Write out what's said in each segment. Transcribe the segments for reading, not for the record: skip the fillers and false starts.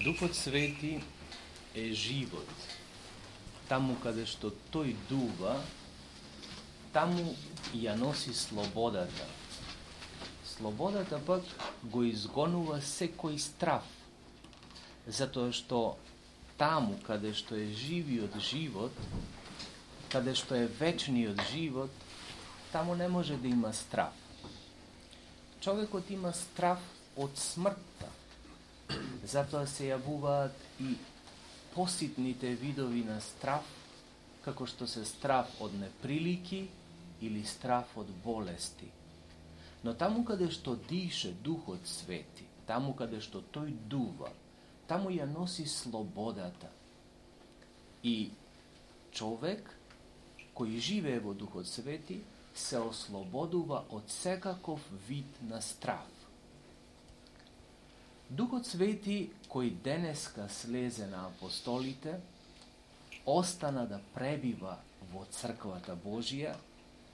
Духот Свети е живот. Таму каде што тој дува, таму ја носи слободата. Слободата пак го изгонува секој страв, затоа што таму каде што е живиот живот, каде што е вечниот живот, таму не може да има страв. Човекот има страв од смртта, затоа се јавуваат и поситните видови на страв, како што се страв од неприлики или страв од болести. Но таму каде што дише Духот Свети, таму каде што тој дува, таму ја носи слободата. И човек кој живее во Духот Свети се ослободува од секаков вид на страв. Духот Свети кој денеска слезе на апостолите, остана да пребива во црквата Божија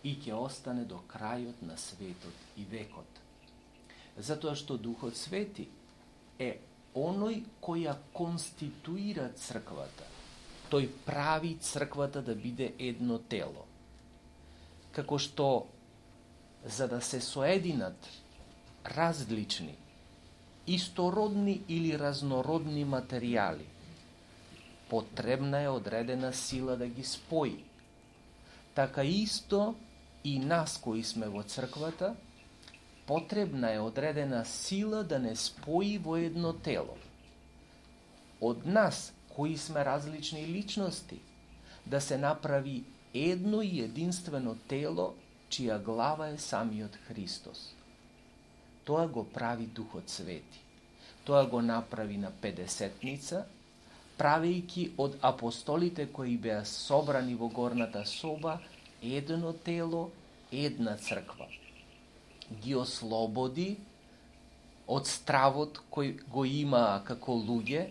и ќе остане до крајот на светот и векот. Затоа што Духот Свети е оној кој ја конституира црквата. Тој прави црквата да биде едно тело. Како што за да се соединат различни, истородни или разнородни материјали, потребна е одредена сила да ги спои. Така исто и нас кои сме во црквата, потребна е одредена сила да не спои во едно тело. Од нас, кои сме различни личности, да се направи едно и единствено тело, чија глава е самиот Христос. Тоа го прави Духот Свети. Тоа го направи на Педесетница, правејќи од апостолите кои беа собрани во горната соба едно тело, една црква. Ги ослободи од стравот кој го имаа како луѓе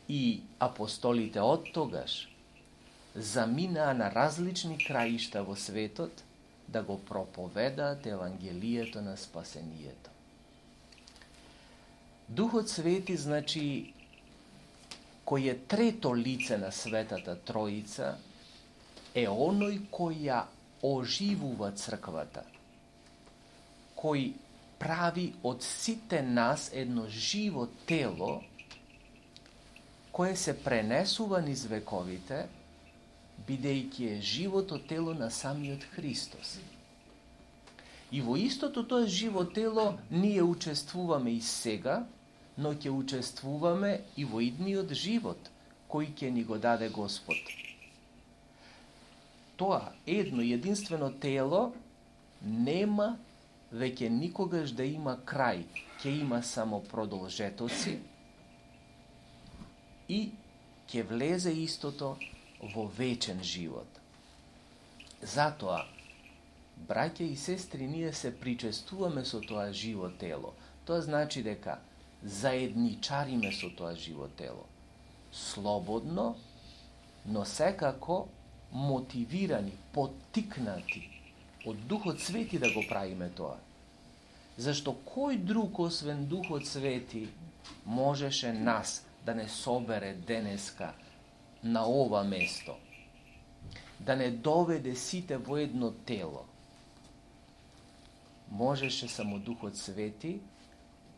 и апостолите оттогаш заминаа на различни краишта во светот да го проповедаат Евангелието на спасението. Духот Свети, значи, кој е трето лице на Светата Троица, е оној кој ја оживува црквата, кој прави од сите нас едно живо тело, кое се пренесува низ вековите, бидејќи е живото тело на самиот Христос. И во истото тоа живо тело ние учествуваме и сега, но ќе учествуваме и во идниот живот, кој ќе ни го даде Господ. Тоа едно единствено тело нема веќе никогаш да има крај, ќе има само продолжетоци и ќе влезе истото во вечен живот. Затоа, браќа и сестри, ние се причестуваме со тоа живо тело. Тоа значи дека заедничариме со тоа живо тело. Слободно, но секако мотивирани, поттикнати од Духот Свети да го правиме тоа. Зашто кој друг освен Духот Свети можеше нас да не собере денеска на ова место, да не доведе сите во едно тело? Можеше само Духот Свети,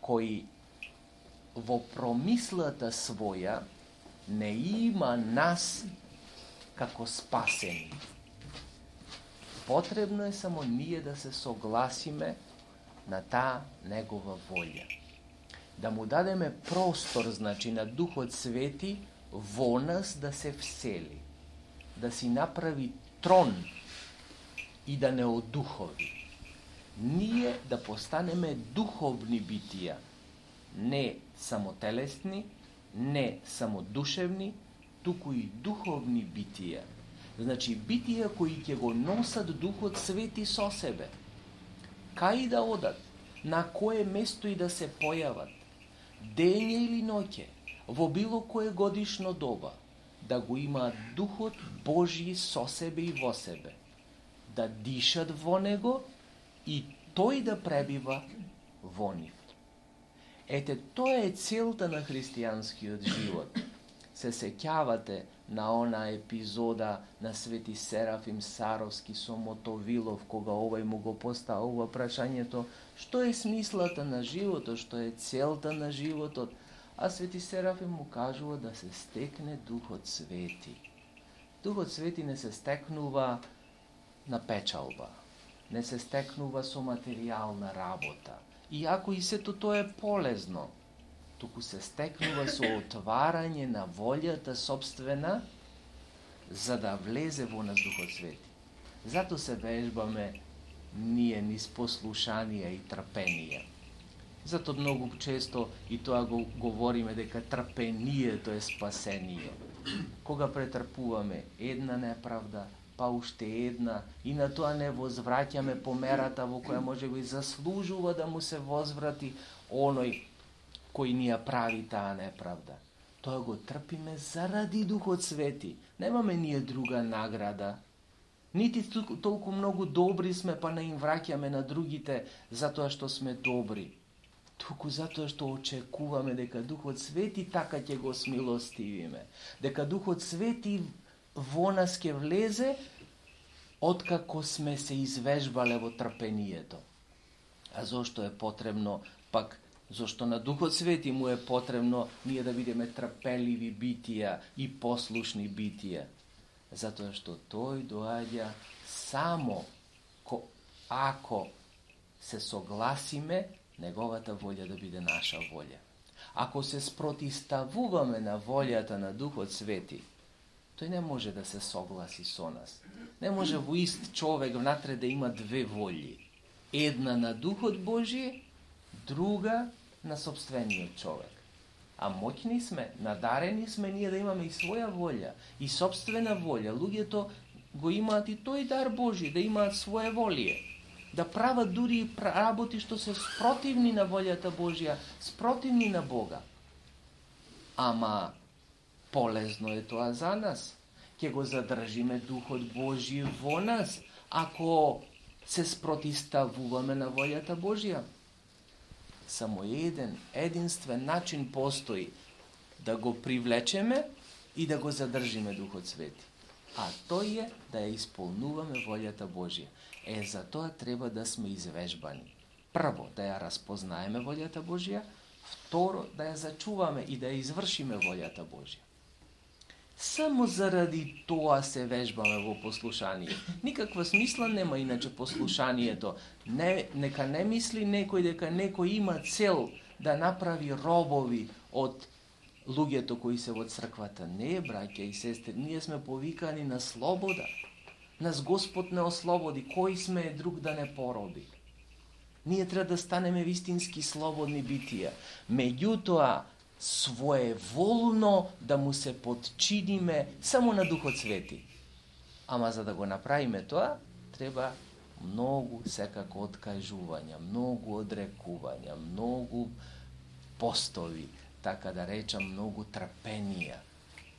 кој во промислата своја не има нас како спасени. Потребно е само ние да се согласиме на таа негова волја. Да му дадеме простор, значи, на Духот Свети во нас да се всели, да си направи трон и да не одухови. Ние да постанеме духовни битија, не само телесни, не само душевни, туку и духовни битија. Значи, битија кои ќе го носат Духот Свети со себе. Кај да одат, на кое место и да се појават, дење или ноќе, во било кое годишно доба, да го имаат Духот Божји со себе и во себе, да дишат во Него и Тој да пребива во нив. Ете, тоа е целта на христијанскиот живот. Се сеќавате на она епизода на Свети Серафим Саровски со Мотовилов, кога овај му го поставува прашањето што е смислата на животот, што е целта на животот, а Свети Серафим му кажува да се стекне Духот Свети. Духот Свети не се стекнува на печалба, не се стекнува со материјална работа, иако и сето тоа е полезно, туку се стекнува со отварање на волјата собствена за да влезе во нас Духот Свети. Зато се вежбаме ние низ послушание и трпение. Зато многу често и тоа го говориме дека трпението е спасение. Кога претрпуваме една неправда, па уште една, и на тоа не возвраќаме по мерата во која може би заслужува да му се возврати оној кој ни ја прави таа неправда. Тоа го трпиме заради Духот Свети. Немаме ние друга награда. Нити толку многу добри сме, па не им враќаме на другите затоа што сме добри. Туку затоа што очекуваме дека Духот Свети така ќе го смилостивиме. Дека Духот Свети во нас ќе влезе откако сме се извежбале во трпението. А зошто е потребно пак? Зошто на Духот Свети му е потребно ние да бидеме трпеливи битија и послушни битија? Затоа што тој доаѓа само ако се согласиме неговата волја да биде наша волја. Ако се спротиставуваме на волјата на Духот Свети, тој не може да се согласи со нас. Не може во ист човек внатре да има две волји. Една на Духот Божие, друга на собствениот човек. А моќни сме, надарени сме ние да имаме и своја волја, и собствена волја. Луѓето го имаат и тој дар Божи, да имаат своје волие, да прават дури и работи што се спротивни на волјата Божја, спротивни на Бога. Ама полезно е тоа за нас. Ќе го задржиме Духот Божи во нас, ако се спротиставуваме на волјата Божја. Само единствен начин постои да го привлечеме и да го задржиме Духот Свети. А тој е да ја исполнуваме волјата Божја. За тоа треба да сме извежбани. Прво, да ја разпознаеме волјата Божја, второ, да ја зачуваме и да ја извршиме волјата Божја. Само заради тоа се вежбаме во послушание. Никаква смисла нема иначе послушанието. Нека не мисли некој дека некој има цел да направи робови од луѓето кои се во црквата. Не, браќа и сестри, ние сме повикани на слобода. Нас Господ не ослободи. Кој сме друг да не пороби? Ние треба да станеме вистински слободни битија. Меѓутоа, своеволно да му се подчиниме само на Духот Свети. Ама за да го направиме тоа, треба многу секако откажувања, многу одрекувања, многу постови, така да речам, многу трпенија,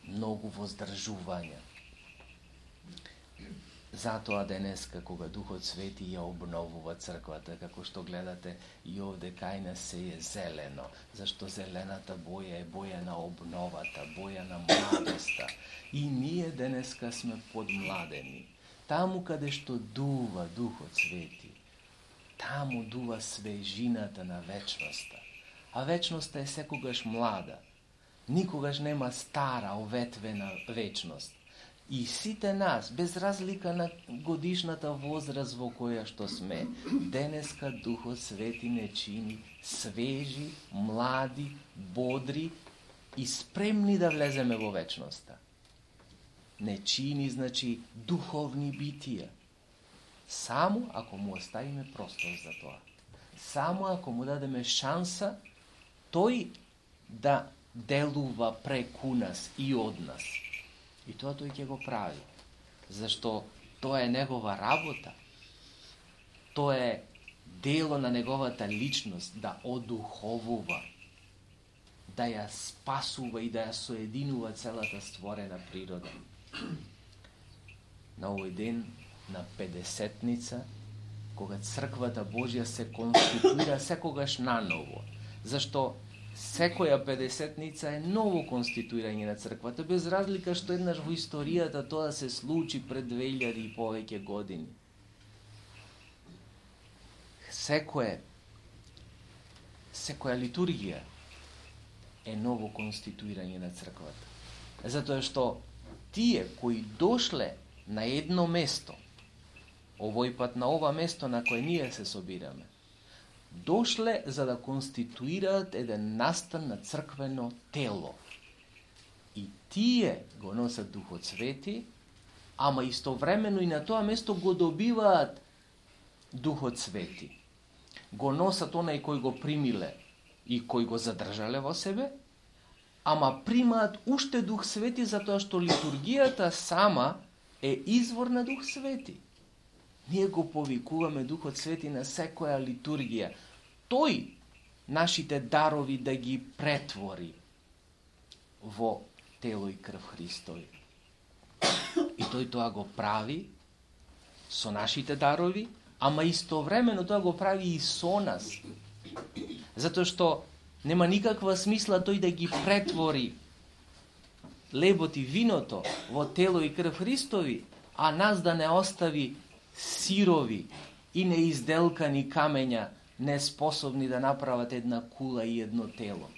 многу воздржувања. Затоа денеска, кога Духот Свети ја обновува црквата, како што гледате и овде кај нас се е зелено, зашто зелената боја е боја на обновата, боја на младоста. И ние денеска сме подмладени. Таму каде што дува Духот Свети, таму дува свежината на вечноста. А вечноста е секогаш млада. Никогаш нема стара, оветвена вечност. И сите нас, без разлика на годишната возраст во која што сме, денеска Духот Свети не чини свежи, млади, бодри и спремни да влеземе во вечноста. Не чини, значи, духовни битија. Само ако му оставиме простор за тоа. Само ако му дадеме шанса тој да делува преку нас и од нас. И тоа тој ќе го прави. Зашто тоа е негова работа. Тоа е дело на неговата личност да одуховува, да ја спасува и да ја соединува целата створена природа. На овој ден, на Педесетница, кога црквата Божја се конституира секогаш наново, Зашто секоја 50-ница е ново конституирање на црквата, без разлика што еднаш во историјата тоа се случи пред 2000 и повеќе години. Секоја литургија е ново конституирање на црквата. Затоа што тие кои дошле на едно место, овој пат на ова место на кое ние се собираме, дошле за да конституираат еден настан на црквено тело. И тие го носат Духот Свети, ама истовремено и на тоа место го добиваат Духот Свети. Го носат онај кој го примиле и кој го задржале во себе, ама примаат уште Дух Свети затоа што литургијата сама е извор на Дух Свети. Ние го повикуваме Духот Свети на секоја литургија. Тој нашите дарови да ги претвори во тело и крв Христови. И тој тоа го прави со нашите дарови, ама истовремено тоа го прави и со нас. Затоа што нема никаква смисла тој да ги претвори лебот и виното во тело и крв Христови, а нас да не остави сирови и неизделкани камења, неспособни да направат една кула и едно тело.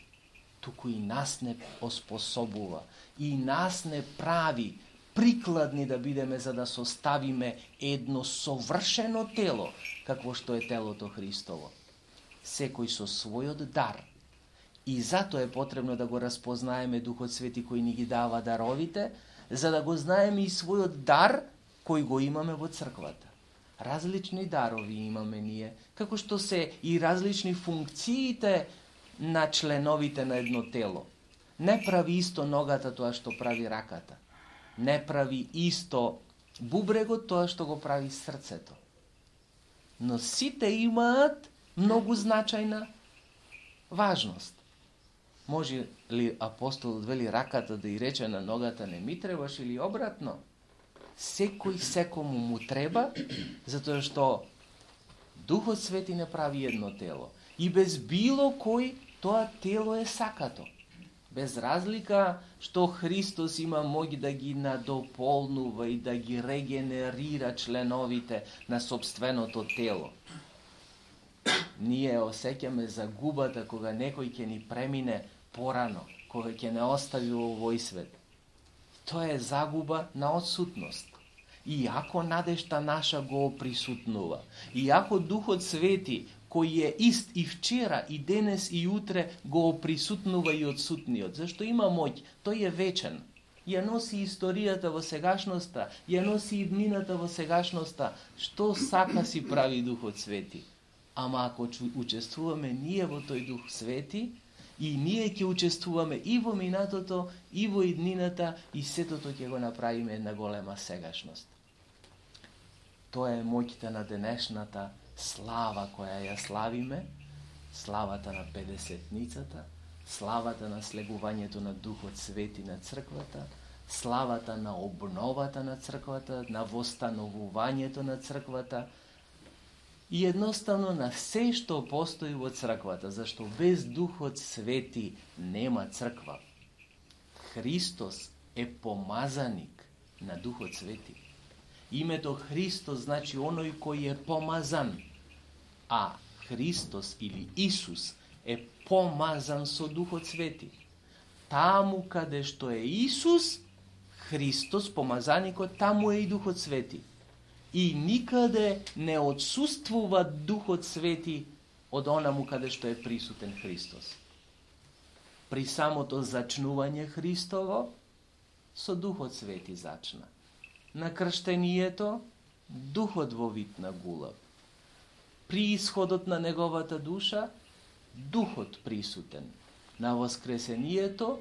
Туку и нас не оспособува, и нас не прави прикладни да бидеме за да составиме едно совршено тело, какво што е телото Христово. Секој со својот дар. И затоа е потребно да го распознаеме Духот Свети кој ни ги дава даровите, за да го знаеме и својот дар кој го имаме во црквата. Различни дарови имаме ние, како што се и различни функциите на членовите на едно тело. Не прави исто ногата тоа што прави раката. Не прави исто бубрегот тоа што го прави срцето. Но сите имаат многу значајна важност. Може ли апостолот вели раката да и рече на ногата не ми требаш или обратно? Секој секому му треба, затоа што Духот Свети не прави едно тело. И без било кој тоа тело е сакато. Без разлика што Христос има моќ да ги надополнува и да ги регенерира членовите на собственото тело. Ние осеќаме загубата кога некој ќе ни премине порано, кога ќе не остави во овој свет. Тоа е загуба на отсутност. Иако надежта наша го присутнува, иако Духот Свети, кој е ист и вчера, и денес, и утре, го присутнува и отсутниот, зашто има моќ, тој е вечен. Ја носи историјата во сегашноста, ја носи иднината во сегашноста, што сака си прави Духот Свети. Ама ако учествуваме ние во тој Дух Свети, и ние ќе учествуваме и во минатото, и во иднината, и сетото ќе го направиме една голема сегашност. Тоа е моќта на денешната слава која ја славиме, славата на 50-ницата, славата на слегувањето на Духот Свети на црквата, славата на обновата на црквата, на востановувањето на црквата, и едноставно на се што постои во црквата, зашто без Духот Свети нема црква. Христос е помазаник на Духот Свети. Името Христос значи оној кој е помазан, а Христос или Исус е помазан со Духот Свети. Таму каде што е Исус, Христос, помазаникот, таму е и Духот Свети. И никаде не отсуствува Духот Свети од онаму каде што е присутен Христос. При самото зачнување Христово, со Духот Свети зачна. На крштението, Духот во вид на гулав. При исходот на неговата душа, Духот присутен. На воскресението,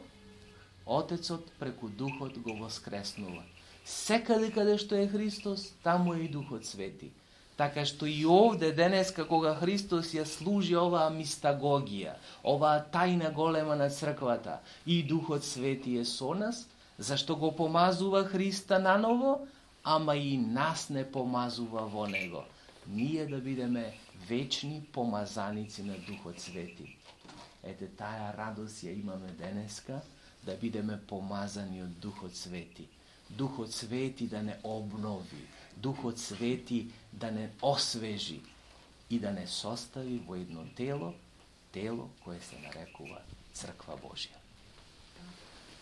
Отецот преку Духот го воскреснува. Секаде каде што е Христос, таму е и Духот Свети. Така што и овде денеска кога Христос ја служи оваа мистагогија, оваа тајна голема на црквата, и Духот Свети е со нас, зашто го помазува Христа наново, ама и нас не помазува во Него. Ние да бидеме вечни помазаници на Духот Свети. Ете, тая радост ја имаме денеска, да бидеме помазани од Духот Свети. Духот Свети да не обнови, Духот Свети да не освежи и да не состави во едно тело кое се нарекува Црква Божја.